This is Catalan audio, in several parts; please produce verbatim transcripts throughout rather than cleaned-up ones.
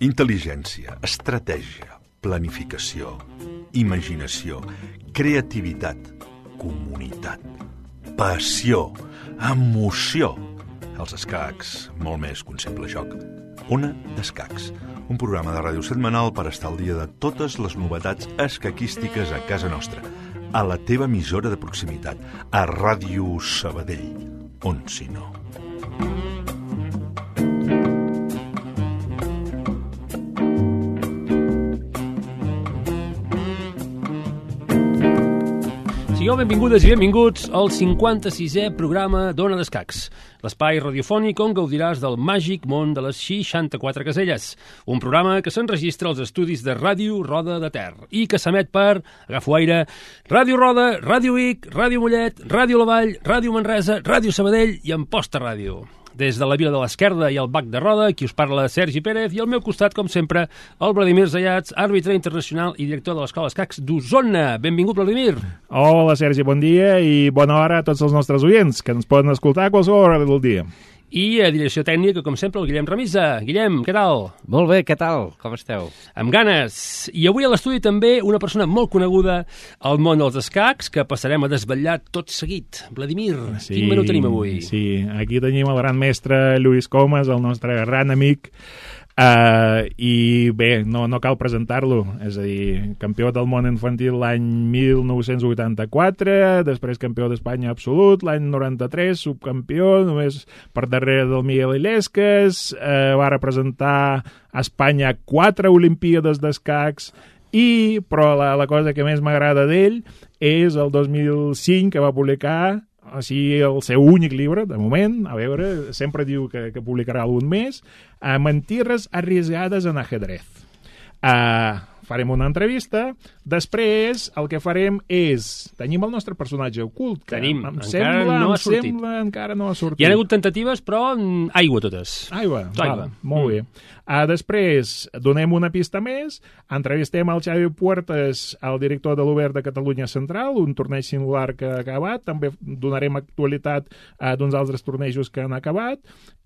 Intel·ligència, estratègia, planificació, imaginació, creativitat, comunitat, passió, emoció. Els escacs, molt més que un simple joc. Ona d'Escacs, un programa de ràdio setmanal per estar al dia de totes les novetats escaquístiques a casa nostra, a la teva emissora de proximitat, a Ràdio Sabadell, on si no. Sigueu benvingudes i benvinguts al cinquanta-sisè programa d'Ona d'Escacs, l'espai radiofònic on gaudiràs del màgic món de les seixanta-quatre caselles, un programa que s'enregistra als estudis de Ràdio Roda de Ter i que s'emet per, agafo aire, Ràdio Roda, Ràdio Vic, Ràdio Mollet, Ràdio La Vall, Ràdio Manresa, Ràdio Sabadell i Amposta Ràdio. Des de la Vila de l'Esquerda i el Bac de Roda, qui us parla Sergi Pérez, i al meu costat, com sempre, el Vladimir Zayats, àrbitre internacional i director de l'Escola Escacs d'Osona. Benvingut, Vladimir. Hola, Sergi, bon dia i bona hora a tots els nostres oients, que ens poden escoltar a qualsevol hora del dia. I a direcció tècnica, com sempre, el Guillem Remisa. Guillem, què tal? Molt bé, què tal? Com esteu? Amb ganes. I avui a l'estudi també una persona molt coneguda al món dels escacs, que passarem a desvetllar tot seguit. Vladimir, sí, quin menú tenim avui? Sí, aquí tenim el gran mestre Lluís Comas, el nostre gran amic, uh, i bé, no, no cal presentar-lo, és a dir, campió del món infantil l'any mil nou-cents vuitanta-quatre, després campió d'Espanya absolut, l'any noranta-tres, subcampió, només per darrere del Miguel Illescas, uh, va representar a Espanya quatre Olimpíades d'escacs, i, però la, la cosa que més m'agrada d'ell és el dos mil cinc, que va publicar així el seu únic llibre, de moment, a veure, sempre diu que, que publicarà algun més, uh, Mentiras arriesgadas en ajedrez. Uh, farem una entrevista, després el que farem és, tenim el nostre personatge ocult, que tenim, em encara sembla, no ha em sortit. Sembla, encara no ha sortit. Hi ha hagut tentatives, però aigua totes. Aigua, aigua. Val, molt mm. bé. Uh, després, donem una pista més, entrevistem el Xavi Puertas, el director de l'Obert de Catalunya Central, un torneig singular que ha acabat, també donarem actualitat uh, d'uns altres tornejos que han acabat,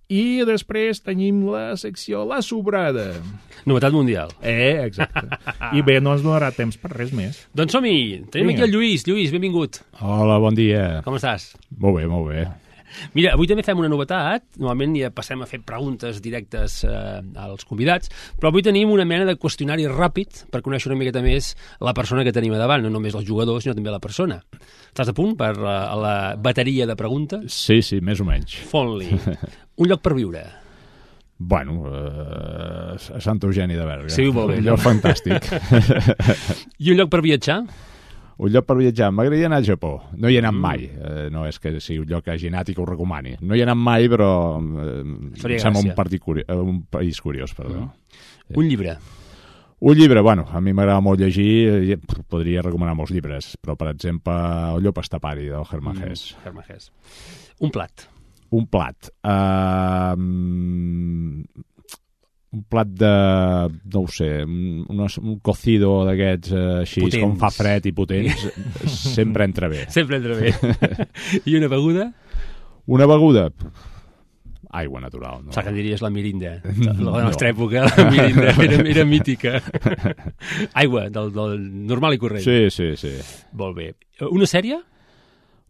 i després tenim la secció La Sobrada. Novetat mundial. Eh, exacte. I bé, no ens donarà temps per res més. Doncs som-hi. Tenim Vinga. Aquí el Lluís. Lluís, benvingut. Hola, bon dia. Com estàs? Molt bé, molt bé. Mira, avui també fem una novetat. Normalment ja passem a fer preguntes directes eh, als convidats, però avui tenim una mena de qüestionari ràpid per conèixer una miqueta més la persona que tenim a davant, no només el jugador, sinó també la persona. Estàs a punt per la, la bateria de preguntes? Sí, sí, més o menys. Font-li. Un lloc per viure? Bueno, eh, a Sant Eugeni de Berga. Sí, molt bé. Un lloc fantàstic. I un lloc per viatjar? Un lloc per viatjar. M'agradaria anar al Japó. No hi he anat mm. mai. Eh, no és que sigui un lloc que hagi anat i que ho recomani. No hi he anat mai, però eh, em sembla un, curi un país curiós. Perdó. Mm. Un llibre? Un llibre, bueno, a mi m'agrada molt llegir. Podria recomanar molts llibres, però, per exemple, El llop estapari, del Hermann Hesse. Mm. Hermann Hesse. Un plat? Un plat. Uh, un plat de, no ho sé, un, un cocido d'aquests uh, així, potents. Com fa fred i potents, sempre entra bé. Sempre entra bé. I una beguda? Una beguda? Aigua natural. No? Saps que diries la mirinda? La de la nostra no. època, la mirinda era, era mítica. Aigua, del, del normal i corrent. Sí, sí, sí. Molt bé. Una sèrie?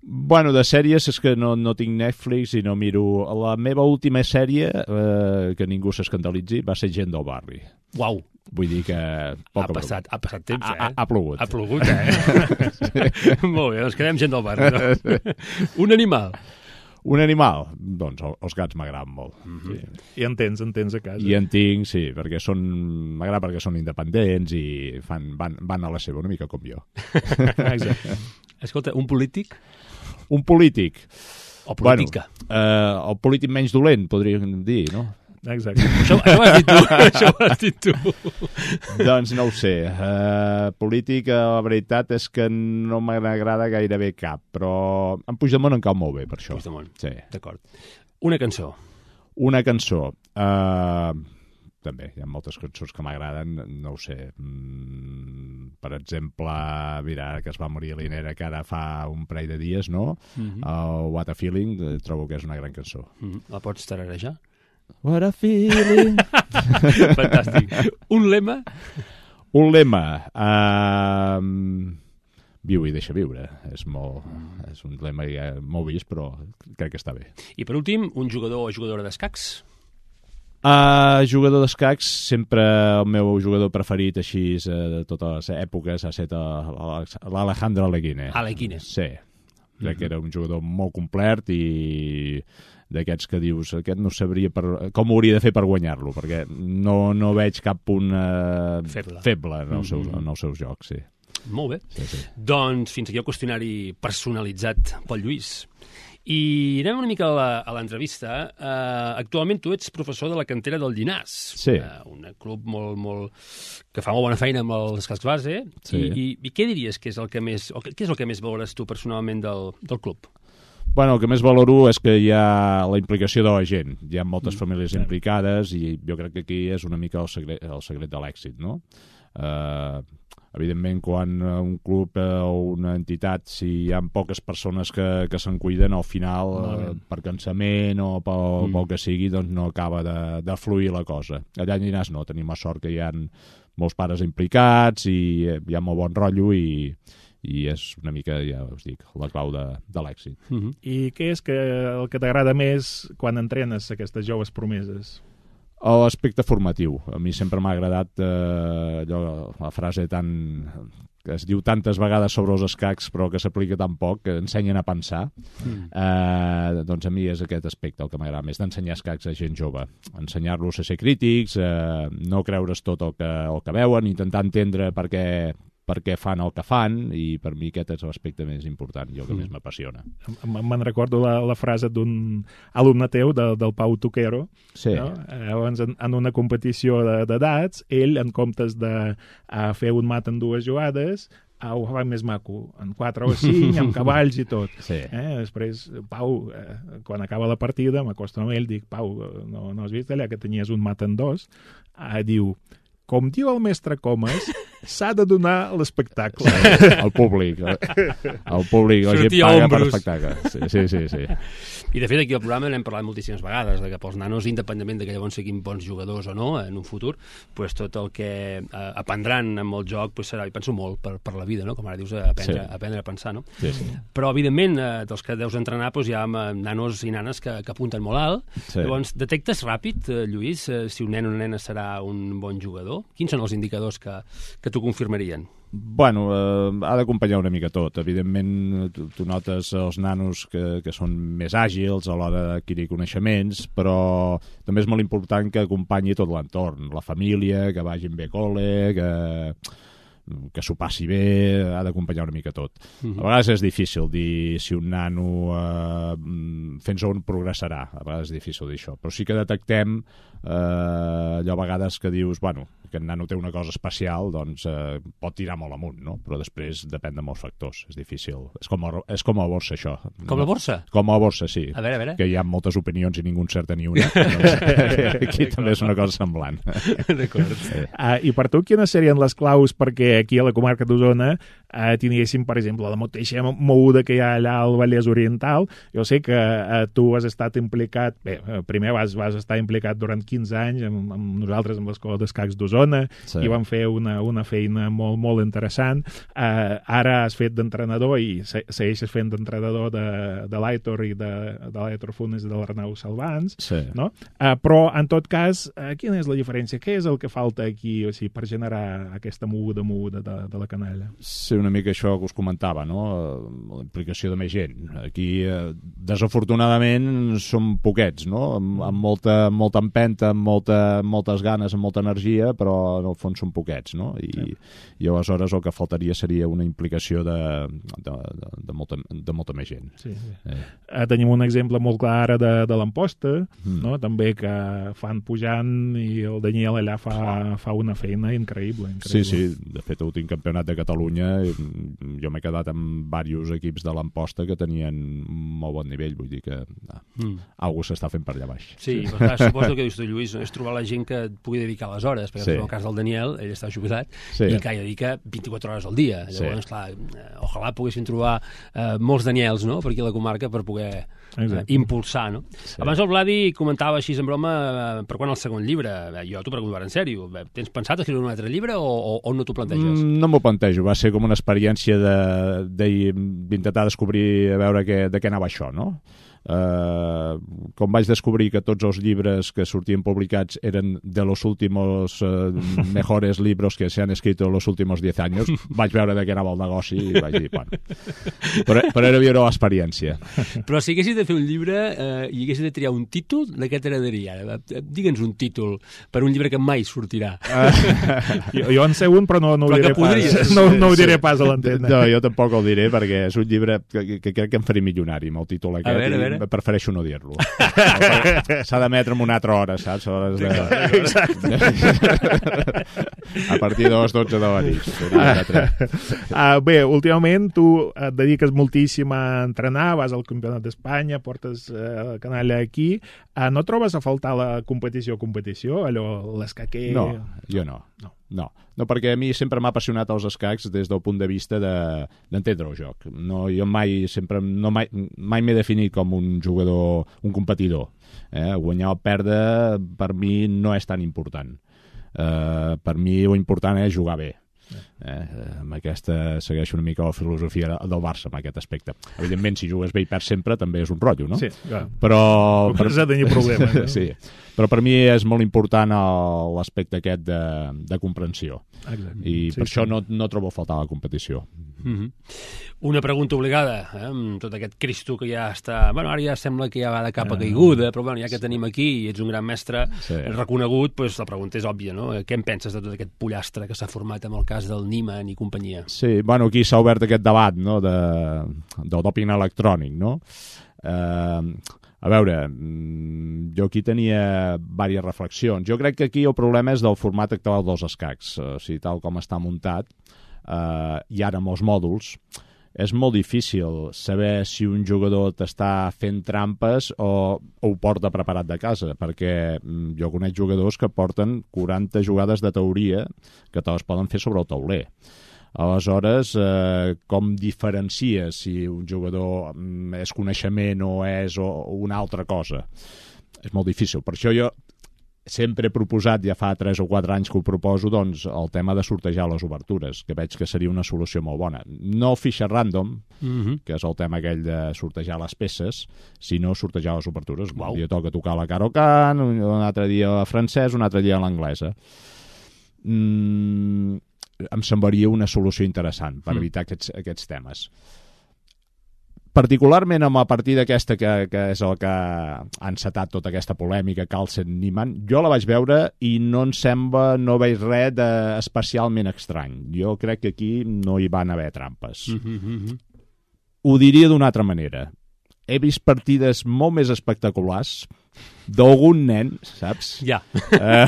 Bueno, de sèries és que no, no tinc Netflix i no miro... La meva última sèrie, eh, que ningú s'escandalitzi, va ser Gent del barri. Uau! Vull dir que... Ha passat, ha passat temps, eh? Ha, ha plogut. Ha plogut, eh? Sí. Molt bé, doncs quedem Gent del barri. No? Un animal? Un animal? Doncs els gats m'agraden molt. Mm-hmm. Sí. I en tens, en tens a casa. I en tinc, sí, perquè són... M'agrada perquè són independents i fan, van, van a la seva, una mica com jo. Exacte. Escolta, un polític? Un polític. O política. Bueno, eh, el polític menys dolent, podríem dir, no? Exacte. Això, això ho has dit tu. Això ho has dit tu. Doncs no ho sé. Uh, política, la veritat és que no m'agrada gairebé cap, però en Puigdemont em cau molt bé, per això. Puigdemont, sí. D'acord. Una cançó. Una cançó. Uh, també. Hi ha moltes cançons que m'agraden, no ho sé. Mm, per exemple, mira, que es va morir l'Inera, que ara fa un parell de dies, no? Mm-hmm. Uh, What a Feeling, eh, trobo que és una gran cançó. Mm-hmm. La pots tararejar? What a feeling! Fantàstic. Un lema? Un lema... Uh, viu i deixa viure. És, molt, és un lema ja molt vist, però crec que està bé. I per últim, un jugador o jugadora d'escacs? Uh, jugador d'escacs, sempre el meu jugador preferit així de totes les èpoques ha estat l'Alejandro Alekhine. Alekhine. Sí. Crec mm-hmm. que era un jugador molt complet i d'aquests que dius, aquest no sabria per, com ho hauria de fer per guanyar-lo, perquè no, no veig cap punt uh, feble, feble en, els seus, mm-hmm. en els seus jocs, sí. Molt bé. Sí, sí. Doncs fins aquí el qüestionari personalitzat pel Lluís. I anem una mica a l'entrevista. Uh, actualment tu ets professor de la cantera del Llinars. Sí. Uh, un club molt, molt... que fa molt bona feina amb els cascs base. Sí. I, i, I què diries que és el que més... o què és el que més valores tu personalment del, del club? Bueno, el que més valoro és que hi ha la implicació de la gent. Hi ha moltes mm, famílies sí. implicades i jo crec que aquí és una mica el secret, el secret de l'èxit, no? Uh, evidentment, quan un club o una entitat, si hi ha poques persones que, que se'n cuiden, al final, eh, per cansament o pel, mm. pel que sigui, doncs no acaba de, de fluir la cosa. Allà a Llinars no, tenim la sort que hi ha molts pares implicats i hi ha molt bon rotllo i, i és una mica, ja us dic, la clau de, de l'èxit. Mm-hmm. I què és que, el que t'agrada més quan entrenes aquestes joves promeses? L'aspecte formatiu. A mi sempre m'ha agradat eh, allò, la frase tan, que es diu tantes vegades sobre els escacs però que s'aplica tan poc, que ensenyen a pensar. Mm. Eh, doncs a mi és aquest aspecte el que m'agrada més, d'ensenyar escacs a gent jove. Ensenyar-los a ser crítics, eh, no creure's tot el que, el que veuen, intentar entendre per què per què fan el que fan, i per mi aquest és l'aspecte més important i el que mm. més m'apassiona. Me'n recordo la, la frase d'un alumne teu, de, del Pau Toquero, sí. no? Llavors, en, en una competició d'edats, ell, en comptes de uh, fer un mat en dues jugades, uh, ho fa més maco, en quatre o cinc, amb cavalls i tot. Sí. Eh? Després, Pau, eh, quan acaba la partida, m'acosto amb ell, dic, Pau, no, no has vist allà que tenies un mat en dos? Uh, diu, com diu el mestre Comas, s'ha de donar l'espectacle. Sí, al públic. Al públic, la gent paga per espectacle. Sí, sí, sí, sí. I de fet aquí al programa n'hem parlat moltíssimes vegades, de que pels nanos, independentment de que llavors siguin bons jugadors o no en un futur, pues tot el que eh, aprendran amb el joc pues serà, i penso molt, per, per la vida, no? Com ara dius, aprendre, sí. aprendre a pensar, no? Sí, sí. Però evidentment, eh, dels que deus entrenar, pues, hi ha nanos i nanes que, que apunten molt alt. Sí. Llavors, detectes ràpid, eh, Lluís, eh, si un nen o una nena serà un bon jugador? Quins són els indicadors que, que t'ho confirmarien? Bueno, eh, ha d'acompanyar una mica tot. Evidentment, tu, tu notes els nanos que, que són més àgils a l'hora d'adquirir coneixements, però també és molt important que acompanyi tot l'entorn, la família, que vagin bé a col·le, que, que s'ho passi bé, ha d'acompanyar una mica tot. Mm-hmm. A vegades és difícil dir si un nano eh, fins on progressarà, a vegades és difícil dir això, però sí que detectem eh, allò a vegades que dius, bueno, que el nano té una cosa especial, doncs eh, pot tirar molt amunt, no? Però després depèn de molts factors, és difícil. És com a, és com a borsa, això. Com la borsa? Com a borsa, sí. A veure, a veure. Que hi ha moltes opinions i ningú encerta ni una. Doncs, aquí també és una cosa semblant. D'acord. Sí. Uh, I per tu, quines serien les claus perquè aquí a la comarca d'Osona uh, tinguéssim, per exemple, la mateixa moguda que hi ha allà al Vallès Oriental? Jo sé que uh, tu has estat implicat, bé, uh, primer vas, vas estar implicat durant quinze anys amb, amb nosaltres, amb l'Escola d'Escacs d'Osona, sí. I van fer una, una feina molt, molt interessant. Uh, ara has fet d'entrenador i se, segueixes fent d'entrenador de, de l'Aitor i de, de l'Aitor Funes i de l'Arnau Salvans, sí. No? Uh, però, en tot cas, uh, quina és la diferència? Què és el que falta aquí, o sigui, per generar aquesta moguda, moguda de, de la canalla? Sí, una mica això que us comentava, no? La implicació de més gent. Aquí, eh, desafortunadament, som poquets, no? Amb, amb molta, molta empenta, amb molta, moltes ganes, amb molta energia, però però en el fons són poquets, no? I, sí. i aleshores el que faltaria seria una implicació de, de, de, de, molta, de molta més gent. Sí, sí. Eh. Eh, tenim un exemple molt clar de, de l'Amposta, mm. no? També que fan pujant i el Daniel allà fa, fa una feina increïble, increïble. Sí, sí, de fet l'últim campionat de Catalunya jo m'he quedat amb diversos equips de l'Amposta que tenien molt bon nivell, vull dir que ah, mm. algú s'està fent per allà baix. Sí, sí. Però clar, suposo que dius tu, Lluís, és trobar la gent que et pugui dedicar les hores, perquè sí. en el cas del Daniel, ell està jubilat, sí. i que hi dedica vint-i-quatre hores al dia. Llavors, sí. clar, ojalà poguessin trobar eh, molts Daniels, no?, per aquí a la comarca per poder eh, impulsar, no? Sí. Abans el Vladi comentava així en broma eh, per quan el segon llibre. Jo t'ho pregunto ara en sèrio. Tens pensat escriure un altre llibre o, o, o no t'ho planteges? Mm, no m'ho plantejo. Va ser com una experiència d'intentar de, descobrir a veure que, de què anava això, no? Uh, com vaig descobrir que tots els llibres que sortien publicats eren de los últimos uh, mejores libros que se han escrito en los últimos diez años, vaig veure de què anava el negoci i vaig dir, bueno, però, però era viure l'experiència. Però si haguessis de fer un llibre uh, i haguessis de triar un títol, de què t'agradaria? Digue'ns un títol per un llibre que mai sortirà. Uh, jo, jo en sé un, però no, no ho diré pas. No, no ho diré pas a l'antena. No, jo tampoc el diré perquè és un llibre que, que crec que em faré milionari amb el títol aquest. A veure, a veure. Prefereixo no dir-lo. S'ha d'emetre en una altra hora, saps? Hores de... Exacte. A partir de les dotze de la nit. Uh, bé, últimament tu et dediques moltíssim a entrenar, vas al Campionat d'Espanya, portes uh, canalla aquí. Uh, no trobes a faltar la competició competició? Allò, l'escaquer... No, jo no. No. No, no, perquè a mi sempre m'ha apassionat els escacs des del punt de vista d'entendre de, el joc. No, jo mai sempre no mai, mai m'he definit com un jugador, un competidor. Eh? Guanyar o perdre per mi no és tan important. Eh, per mi l'important és jugar bé. Eh, amb aquesta segueixo una mica la filosofia del Barça en aquest aspecte. Evidentment, si jugues bé i perds sempre també és un rotllo, no? Sí, clar. Però... Per això tenia problemes. No? Sí, però per mi és molt important l'aspecte aquest de, de comprensió. Exacte. I sí, per sí. això no, no trobo a faltar la competició. Mm-hmm. Una pregunta obligada, eh? Amb tot aquest Cristo que ja està... Bueno, ara ja sembla que ja va de capa caiguda, però bueno, ja que tenim aquí i ets un gran mestre sí. reconegut, doncs la pregunta és òbvia, no? Què en penses de tot aquest pollastre que s'ha format amb el cas del Niemann i companyia? Sí, bueno, aquí s'ha obert aquest debat, no?, de, del doping electrònic, no? Eh... A veure, jo aquí tenia diverses reflexions. Jo crec que aquí el problema és del format actual dels escacs. O sigui, tal com està muntat, eh, i ara amb els mòduls, és molt difícil saber si un jugador t'està fent trampes o, o ho porta preparat de casa, perquè jo conec jugadors que porten quaranta jugades de teoria que te les poden fer sobre el tauler. Aleshores, eh, com diferencies si un jugador és coneixement o és o una altra cosa? És molt difícil. Per això jo sempre he proposat, ja fa tres o quatre anys que ho proposo, doncs, el tema de sortejar les obertures, que veig que seria una solució molt bona. No el fitxer random, mm-hmm. que és el tema aquell de sortejar les peces, sinó sortejar les obertures. Wow. Un dia toca tocar la Caro Can, un altre dia la francès, un altre dia l'anglesa. Mm... em semblaria una solució interessant per evitar aquests, aquests temes. Particularment amb la partida aquesta que, que és el que ha encetat tota aquesta polèmica, Carlsen-Niemann, jo la vaig veure i no em sembla, no veig res especialment estrany. Jo crec que aquí no hi van haver trampes. Mm-hmm. Ho diria d'una altra manera. He vist partides molt més espectaculars d'algun nen, saps? Ja. Eh,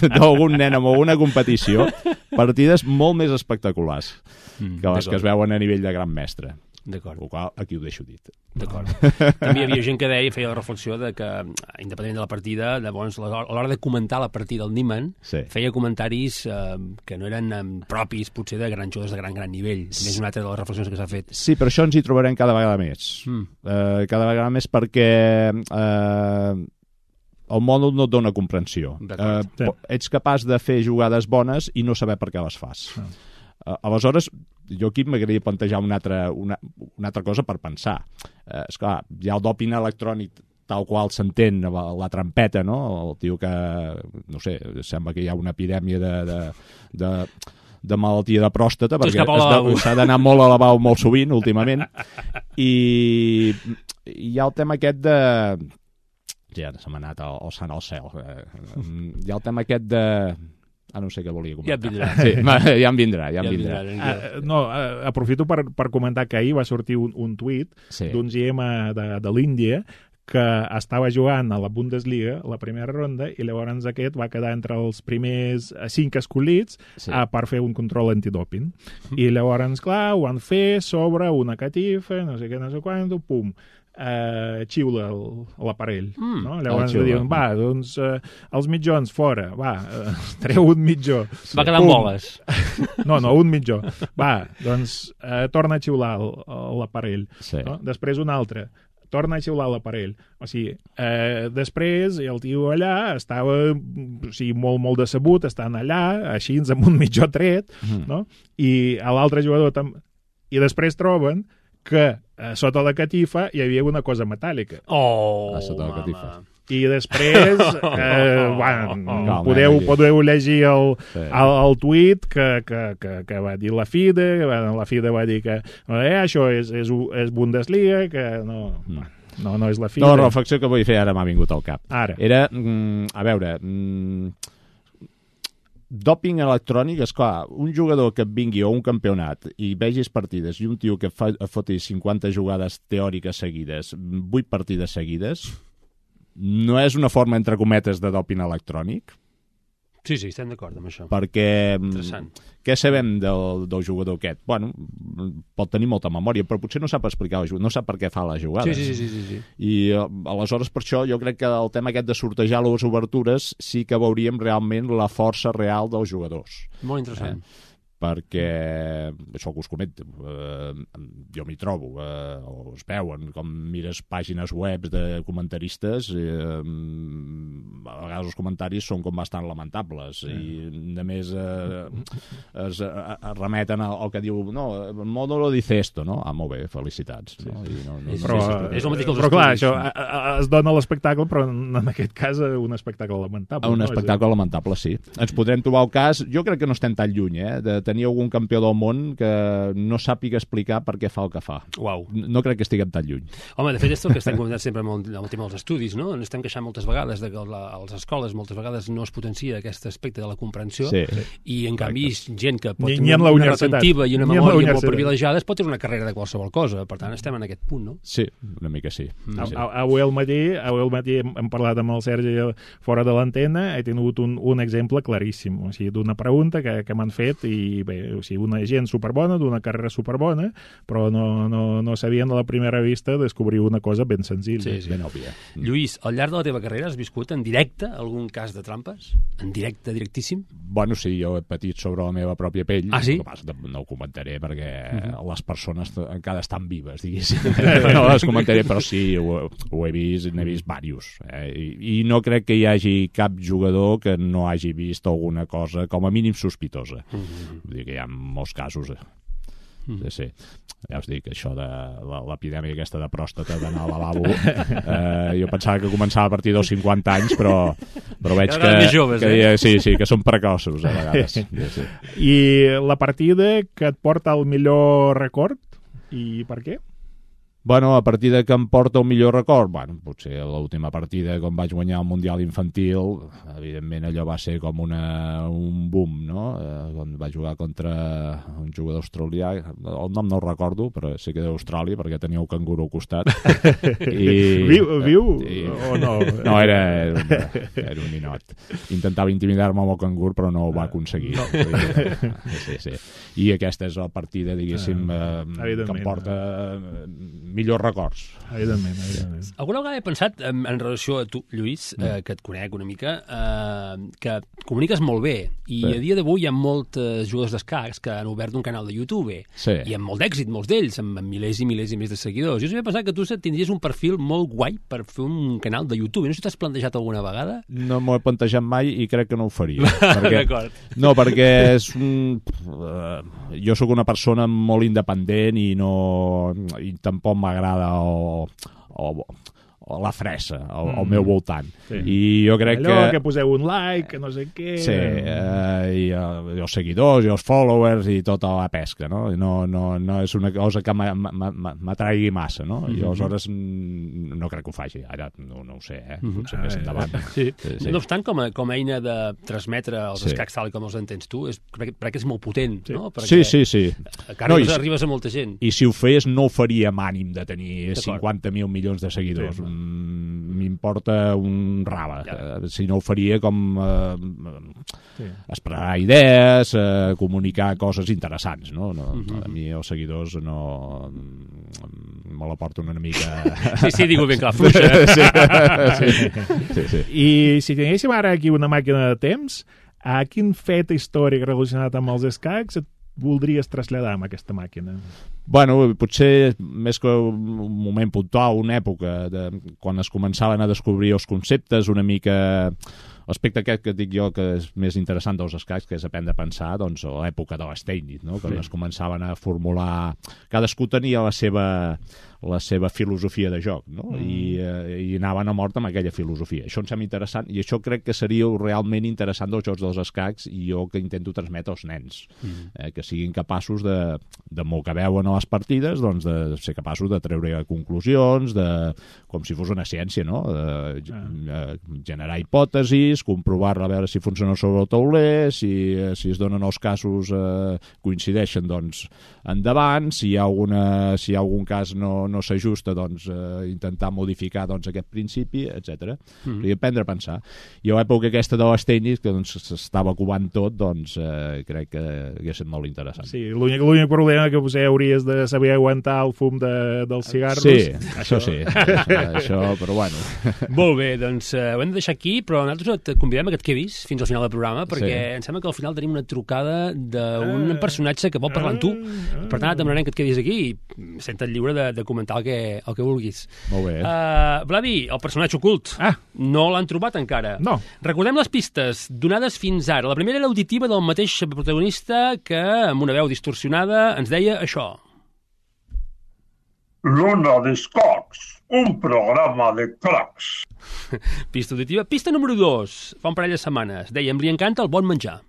d'algun nen amb alguna competició, partides molt més espectaculars mm, que les que es veuen a nivell de gran mestre. D'acord. El qual aquí ho deixo dit. D'acord. També hi havia gent que deia, feia la reflexió de que, independentment de la partida, llavors, a l'hora de comentar la partida del Niemann, sí. feia comentaris eh, que no eren eh, propis, potser, de grans jugadors de gran, gran nivell. Sí. Més una altra de les reflexions que s'ha fet. Sí, però això ens hi trobarem cada vegada més. Mm. Eh, cada vegada més perquè eh, el mòdul no et dona comprensió. Eh, sí. Ets capaç de fer jugades bones i no saber per què les fas. Mm. Uh, aleshores, jo aquí m'agradaria plantejar una altra, una, una altra cosa per pensar. Uh, esclar, hi ha el doping electrònic tal qual s'entén, la, la trampeta, no? El tio que, no sé, sembla que hi ha una epidèmia de, de, de, de malaltia de pròstata, perquè s'ha d'anar molt a lavabo molt sovint, últimament. I hi ha el tema aquest de... Ja se m'ha anat el, el sant al cel. Uh, hi ha el tema aquest de... Ah, no sé què volia Ja et comentar. vindrà. Sí, va, ja em vindrà, ja em Ja et vindrà. vindrà. Uh, no, uh, aprofito per, per comentar que ahir va sortir un, un tuit Sí. d'un G M de, de l'Índia que estava jugant a la Bundesliga, la primera ronda, i llavors aquest va quedar entre els primers cinc escollits Sí. uh, per fer un control antidoping. I llavors, clar, ho van fer sobre una catifa, no sé què, no sé quant, pum, uh, xiula el- l'aparell. Mm. No? Ah, Llavors xiula. diuen, va, doncs uh, els mitjons fora, va, uh, treu un mitjó. Va quedar amb Pum. boles. No, no, un mitjó. Va, doncs eh, torna a xiular el- l'aparell. Sí. No? Després un altre. Torna a xiular l'aparell. O sigui, eh, després el tio allà estava o sigui, molt, molt decebut, estant allà, així, amb un mitjó tret, Mm. no? I a l'altre jugador també. I després troben que eh, sota la catifa hi havia una cosa metàl·lica. Oh, A sota la mama. catifa. I després, eh, bueno, Calma, podeu, eh, podeu llegir el, Sí. el, el tuit que, que, que, que va dir la FIDE, que va- la FIDE va dir que eh, això és, és, és Bundesliga, que no, Mm. no, no és la FIDE. No, la reflexió que vull fer ara m'ha vingut al cap. Ara. Era, mm, a veure, mm, dòping electrònic, és clar, un jugador que et vingui a un campionat i vegis partides i un tio que fa, foti cinquanta jugades teòriques seguides, vuit partides seguides, no és una forma, entre cometes, de dòping electrònic? Sí, sí, estem d'acord amb això. Perquè Interessant. què sabem del, del jugador aquest? Bueno, pot tenir molta memòria, però potser no sap explicar, no sap per què fa les jugades. Sí, sí, sí, sí, sí. I eh, aleshores per això jo crec que el tema aquest de sortejar les obertures sí que veuríem realment la força real dels jugadors. Molt interessant. Perquè això que us comento, eh, jo m'hi trobo, eh, o es veuen, com mires pàgines web de comentaristes, eh, a vegades els comentaris són com bastant lamentables i a més eh, es, es remeten al, al que diu no, el modo lo dice esto, no? Ah, molt bé, felicitats. No? I no, no, És- Però, és- és el mateix que els però clar, estudis. això a, a, es dona l'espectacle, però en aquest cas eh, un espectacle lamentable. Un no? espectacle lamentable, sí. Ens podrem trobar el cas, jo crec que no estem tan lluny, eh, de tenir algun campió del món que no sàpiga explicar per què fa el que fa. Uau. No crec que estiguem tan lluny. Home, de fet, és el que estem comentant sempre amb el, amb el tema dels estudis, no? Ens estem queixant moltes vegades de que la, a les escoles moltes vegades no es potencia aquest aspecte de la comprensió Sí. i, en canvi, gent que pot Ni- tenir ni en la una universitat. retentiva i una Ni en la memòria molt universitat. privilegiada es pot tenir una carrera de qualsevol cosa. Per tant, estem en aquest punt, no? Sí, una mica sí. A- sí. a- Avui al matí, avui al matí hem, hem parlat amb el Sergi fora de l'antena, he tingut un, un exemple claríssim, o sigui, d'una pregunta que, que m'han fet i bé, o sigui, una gent superbona, d'una carrera superbona, però no, no, no sabien a la primera vista descobrir una cosa ben senzilla. Sí, sí. Ben òbvia. Lluís, al llarg de la teva carrera has viscut en directe algun cas de trampes? En directe, directíssim? Bueno, sí, jo he patit sobre la meva pròpia pell. Ah, sí? El que passa, no ho comentaré perquè Mhm. uh -huh. les persones encara estan vives, diguéssim. No les comentaré, però sí, ho, ho he vist, n'he vist diversos. Eh? I, I no crec que hi hagi cap jugador que no hagi vist alguna cosa com a mínim sospitosa. Mm -hmm. Vull dir que hi ha molts casos. Eh? Sí, sí. Ja us dic, això de la- l'epidèmia aquesta de pròstata d'anar al lavabo, eh, jo pensava que començava a partir dels cinquanta anys, però, però veig Cada vegada que, més joves, que eh? sí, sí, que són precoços a vegades. Sí, sí. I la partida que et porta al millor record, i per què? Bueno, a partida que em porta el millor record, bueno, potser l'última partida quan vaig guanyar el Mundial Infantil, evidentment allò va ser com una, un boom, no? Eh, quan vaig jugar contra un jugador australià, el nom no el recordo, però sé que d'Austràlia, perquè tenia un canguro al costat. I, Viu, viu i, o no? No, era, era, un, era un ninot. Intentava intimidar-me amb el cangur, però no ho va aconseguir. Sí, sí. I aquesta és la partida, diguéssim, eh, que em Evidentment. porta eh, millors records. Evidentment, evidentment. Alguna vegada he pensat, en, en relació a tu, Lluís, eh, que et conec una mica, eh, que comuniques molt bé, i Sí. a dia d'avui hi ha molts jugadors d'escacs que han obert un canal de YouTube, Sí. i amb molt d'èxit, molts d'ells, amb, amb milers i milers i milers de seguidors. Jo sempre he pensat que tu tindries un perfil molt guai per fer un canal de YouTube. No sé si t'has plantejat alguna vegada? No m'ho he plantejat mai i crec que no ho faria. perquè, D'acord. no, perquè és un... Uh, jo sóc una persona molt independent i no i tampoc m'agrada o, o, la fressa al, al meu voltant. Sí. I jo crec Allò que... que poseu un like, que no sé què... Sí, eh, i, uh, i els seguidors, i els followers, i tota la pesca, no? No, no, no és una cosa que m'atraigui massa, no? I aleshores no crec que ho faci. Ara no, no ho sé, eh? Potser més endavant. Sí. Sí, sí. No obstant, com a, com a eina de transmetre els sí. escacs tal com els entens tu, és, crec, crec que és molt potent, sí. no? Perquè sí, sí, sí. Encara no, i, arribes a molta gent. I si ho fes, no ho faria amb ànim de tenir cinquanta mil milions de seguidors. Sí. M'importa un rave. Ja. Si no ho faria com eh, sí. esperar idees, eh, comunicar coses interessants, no? no uh-huh. A mi els seguidors no... me la porten una mica... Sí, sí, digo ben clar, fluixa. Sí, sí, sí, sí. I si tinguéssim ara aquí una màquina de temps, a quin fet històric relacionat amb els escacs et voldries traslladar amb aquesta màquina? Bueno, potser més que un moment puntual, una època, de, quan es començaven a descobrir els conceptes, una mica... L'aspecte aquest que dic jo que és més interessant dels escacs, que és aprendre a pensar, doncs l'època de l'Steinitz, no? Quan sí. es començaven a formular... Cadascú tenia la seva... la seva filosofia de joc, no? Mm. I, eh, i anaven a mort amb aquella filosofia. Això em sembla interessant, i això crec que seria realment interessant dels jocs dels escacs, i jo que intento transmetre als nens, mm. eh, que siguin capaços de, de molt que veuen a les partides, doncs de ser capaços de treure conclusions, de, com si fos una ciència, no? De, ah. generar hipòtesis, comprovar-la, a veure si funciona sobre el tauler, si, si es donen els casos eh, coincideixen, doncs endavant, si hi ha, alguna, si hi ha algun cas no no s'ajusta, doncs, eh, intentar modificar doncs, aquest principi, etcètera. Mm. I aprendre a pensar. I a l'època aquesta de les tècnics, que doncs, s'estava covant tot, doncs eh, crec que hauria estat molt interessant. Sí, l'únic, l'únic problema que potser hauries de saber aguantar el fum de, dels cigarros. Sí, això sí. això, però bueno. Molt bé, doncs eh, ho hem de deixar aquí, però nosaltres et convidem a que et quedis fins al final del programa, perquè sí. em sembla que al final tenim una trucada d'un ah, personatge que vol parlar amb tu. Ah, per tant, et demanarem que et quedis aquí i senta't lliure de, de comentar el que, el que vulguis. Molt bé. Uh, Vladi, el personatge ocult. Ah. No l'han trobat encara. No. Recordem les pistes donades fins ara. La primera era auditiva del mateix protagonista que, amb una veu distorsionada, ens deia això. L'Ona d'Escacs, un programa de cracs. Pista auditiva. Pista número dos, fa un parell de setmanes. Dèiem, li encanta el bon menjar.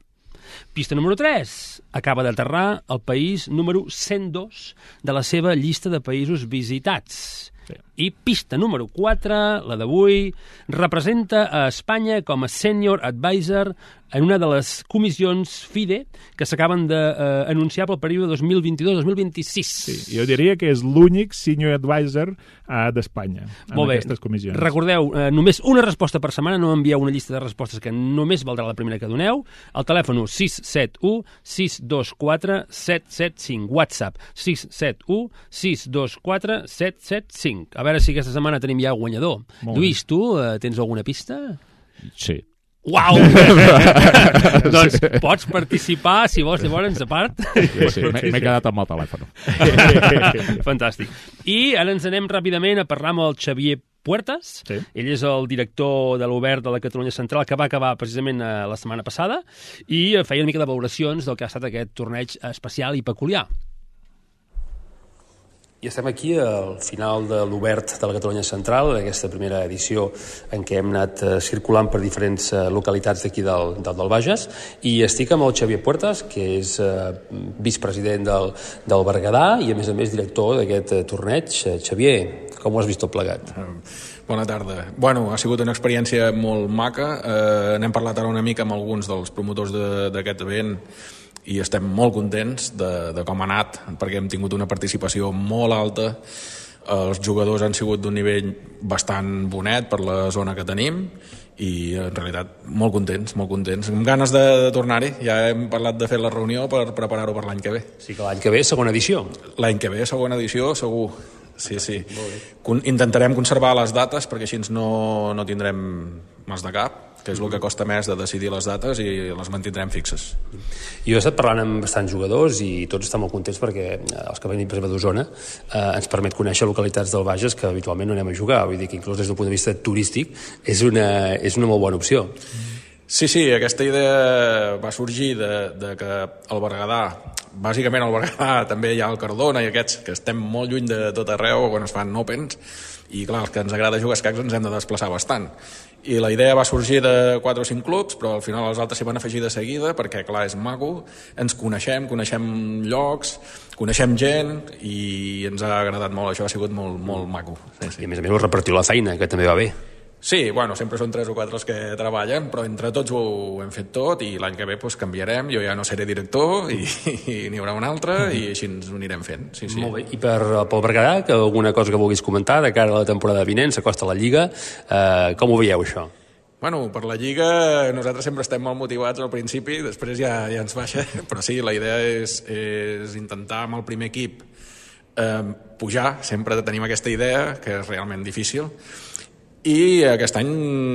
Pista número tres. Acaba d'aterrar al país número cent dos de la seva llista de països visitats. Sí. I pista número quatre, la d'avui, representa a Espanya com a Senior Advisor en una de les comissions FIDE que s'acaben d'anunciar pel període dos mil vint-i-dos dos mil vint-i-sis. Sí, jo diria que és l'únic Senior Advisor uh, d'Espanya en Molt bé. Aquestes comissions. Recordeu, eh, només una resposta per setmana, no envieu una llista de respostes que només valdrà la primera que doneu. El telèfon sis set u sis dos quatre set set cinc, WhatsApp sis set u sis dos quatre set set cinc. A veure si aquesta setmana tenim ja guanyador. Molt Lluís, tu eh, tens alguna pista? Sí. Uau! Doncs pots participar, si vols, llavors, a part. Sí, sí, m'he quedat amb el telèfon. Fantàstic. I ara ens anem ràpidament a parlar amb el Xavier Puertas. Sí. Ell és el director de l'Obert de la Catalunya Central, que va acabar precisament eh, la setmana passada, i feia una mica de valoracions del que ha estat aquest torneig especial i peculiar. I estem aquí al final de l'Obert de la Catalunya Central, aquesta primera edició en què hem anat eh, circulant per diferents eh, localitats d'aquí del, del, del Bages, i estic amb el Xavier Puertas, que és eh, vicepresident del, del Berguedà i a més a més director d'aquest eh, torneig. Eh, Xavier, com ho has vist tot plegat? Bona tarda. Bueno, ha sigut una experiència molt maca. Eh, n'hem parlat ara una mica amb alguns dels promotors d'aquest event i estem molt contents de, de com ha anat, perquè hem tingut una participació molt alta. Els jugadors han sigut d'un nivell bastant bonet per la zona que tenim i en realitat molt contents, molt contents. Amb ganes de, de tornar-hi. Ja hem parlat de fer la reunió per preparar-ho per l'any que ve. Sí que l'any que ve, segona edició. L'any que ve, segona edició, segur. Sí, sí. Intentarem conservar les dates perquè així no, no tindrem mas de cap, que és el que costa més de decidir les dates, i les mantindrem fixes. Jo he estat parlant amb bastants jugadors i tots estan molt contents perquè els que venim per exemple d'Osona eh, ens permet conèixer localitats del Bages que habitualment no anem a jugar, vull dir que inclús des del punt de vista turístic és una, és una molt bona opció. Sí, sí, aquesta idea va sorgir de, de que el Berguedà, bàsicament al Berguedà també hi ha el Cardona i aquests que estem molt lluny de tot arreu quan es fan Opens, i clar, els que ens agrada jugar a escacs ens hem de desplaçar bastant. I la idea va sorgir de quatre o cinc clubs, però al final els altres s'hi van afegir de seguida perquè, clar, és maco, ens coneixem, coneixem llocs, coneixem gent i ens ha agradat molt, això ha sigut molt, molt maco. Sí, sí. I a més a més us repartiu la feina, que també va bé. Sí, bueno, sempre són tres o quatre els que treballen, però entre tots ho hem fet tot i l'any que ve pues, canviarem, jo ja no seré director i, i n'hi haurà un altre i així ens ho anirem fent. Sí, sí. Molt bé, i per, pel Berguedà, que alguna cosa que vulguis comentar de cara a la temporada vinent, s'acosta la Lliga, eh, com ho veieu això? Bueno, per la Lliga nosaltres sempre estem molt motivats al principi, després ja, ja ens baixa, però sí, la idea és, és intentar amb el primer equip eh, pujar, sempre tenim aquesta idea, que és realment difícil, i aquest any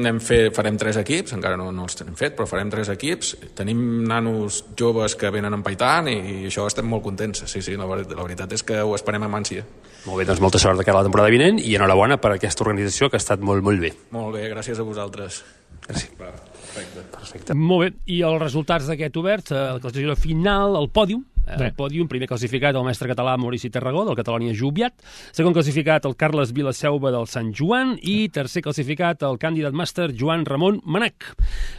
hem fet, farem tres equips, encara no, no els hem fet, però farem tres equips. Tenim nanos joves que venen empaitant i, i això estem molt contents. Sí, sí, la, la veritat és que ho esperem amb ànsia. Molt bé, doncs molta sort de cara a la temporada vinent i enhorabona per aquesta organització que ha estat molt, molt bé. Molt bé, gràcies a vosaltres. Gràcies. Va, perfecte. Perfecte. Molt bé, i els resultats d'aquest obert, la classificació final, el pòdium, el pòdium, primer classificat el mestre català Maurici Tarragó del Catalònia Joviat, segon classificat el Carles Vilaseuva del Sant Joan i tercer classificat el candidat màster Joan Ramon Manac.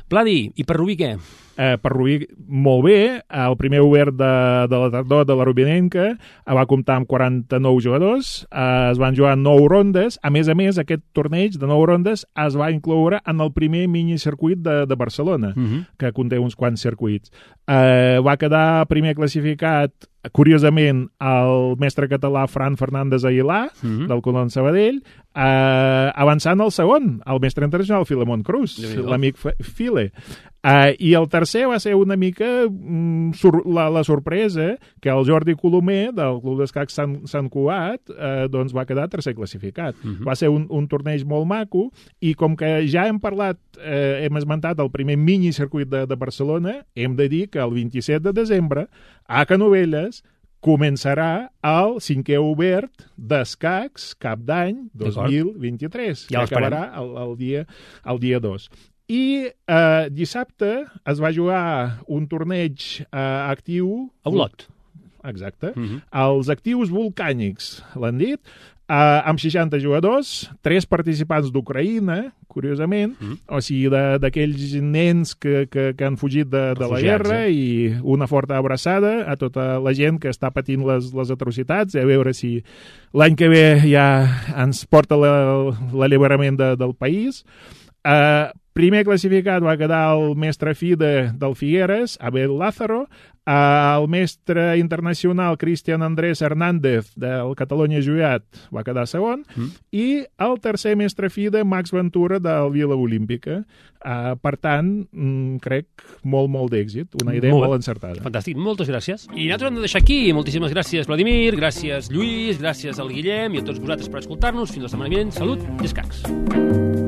Pladi, i per Rubí què? Eh, per Rubí, molt bé. El primer obert de, de la tardor de la Rubinenca va comptar amb quaranta-nou jugadors, eh, es van jugar nou rondes. A més a més, aquest torneig de nou rondes es va incloure en el primer minicircuit de, de Barcelona, uh -huh. que conté uns quants circuits. Eh, va quedar primer classificat, curiosament, el mestre català Fran Fernández Aguilar, uh -huh. del Colón Sabadell, eh, avançant al segon, el mestre internacional Filemón Cruz, l'amic File. Uh, I el tercer va ser una mica mm, sur la, la sorpresa que el Jordi Colomer del Club d'Escacs Sant, Sant Cugat uh, doncs va quedar tercer classificat. Uh -huh. Va ser un, un torneig molt maco i com que ja hem parlat, eh, hem esmentat el primer minicircuit de, de Barcelona, hem de dir que el vint-i-set de desembre a Canovelles començarà el cinquè obert d'escacs cap d'any dos mil vint-i-tres, ja que acabarà el, el dia el dia dos. I eh, dissabte es va jugar un torneig eh, actiu... A Olot. Exacte. Uh -huh. Els actius volcànics, l'han dit, eh, amb seixanta jugadors, tres participants d'Ucraïna, curiosament, uh -huh. o sigui, d'aquells nens que, que, que han fugit de, de la guerra, eh? I una forta abraçada a tota la gent que està patint les, les atrocitats, a veure si l'any que ve ja ens porta l'alliberament de, del país. Eh, Primer classificat va quedar el mestre FIDE del Figueres, Abel Lázaro, el mestre internacional Cristian Andrés Hernández del Catalunya Joviat va quedar segon, mm. i el tercer mestre FIDE, Max Ventura, del Vila Olímpica. Uh, per tant, mm, crec molt, molt d'èxit. Una idea molt, molt encertada. Fantàstic, moltes gràcies. I nosaltres hem de deixar aquí. Moltíssimes gràcies, Vladimir, gràcies, Lluís, gràcies al Guillem i a tots vosaltres per escoltar-nos. Fins la setmana vinent. Salut i escacs.